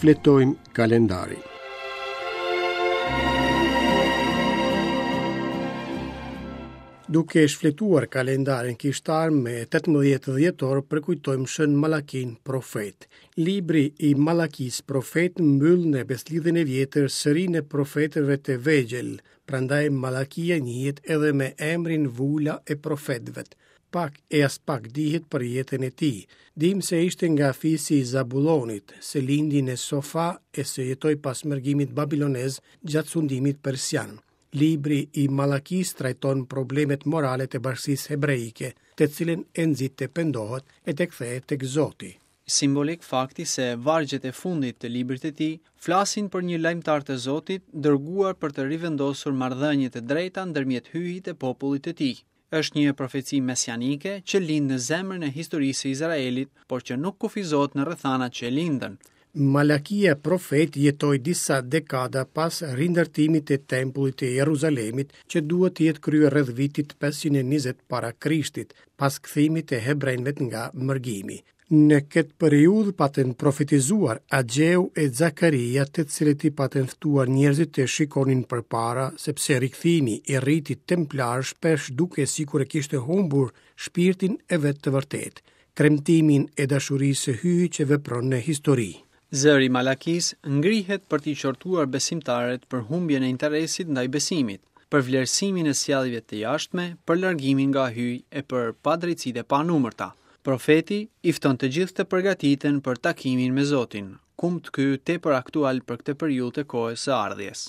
Shfletojmë kalendarin. Duke shfletuar kalendarin kishtar me 18 dhjetor përkujtojmë Shën Malakinë profet. Libri i Malakisë profet mbyll në Besëlidhjen e Vjetër serinë e profetëve të vegjël, prandaj Malakia njihet edhe me emrin Vula e profetëve. Pak e aspak dihet për jetën e tij. Dimë se ishte nga fisi i Zabullonit, se lindi në Sofa e se jetoi pas mërgimit babilonez gjatë sundimit persian. Libri i Malakisë trajton problemet morale të bashkësisë hebreike, të cilën e nxit të pendohet e të kthehet tek Zoti. Simbolik fakti se vargjet e fundit të librit të tij flasin për një lajmëtar të Zotit dërguar për të rivendosur marrëdhëniet e drejta ndërmjet Hyjit e popullit të tij. Është një profeci mesianike që lind në zemrën e historisë së Izraelit, por që nuk kufizohet në rrethanat që e lindën. Malakia profet jetoi disa dekada pas rindërtimit të Tempullit të Jeruzalemit, që duhet të jetë kryer rreth vitit 520 para Krishtit, pas kthimit të hebrenjve nga mërgimi. Në këtë periudhë patën profetizuar Agjeu e Zakaria, të cilët i patën ftuar njerëzit të shikonin përpara, sepse rikthimi i ritit templar shpesh dukej sikur e kishte humbur shpirtin e vet të vërtetë, kremtimin e dashurisë së Hyjit që vepron në histori. Zëri i Malakisë ngrihet për t'i qortuar besimtarët për humbjen e interesit ndaj besimit, për vlerësimin e sjelljeve të jashtme, për largimin nga Hyji e për padrejtësitë e panumërta. Profeti i fton të gjithë të përgatiten për takimin me Zotin, kumт ky tepër aktual për këtë periudhë të kohës së ardhjes.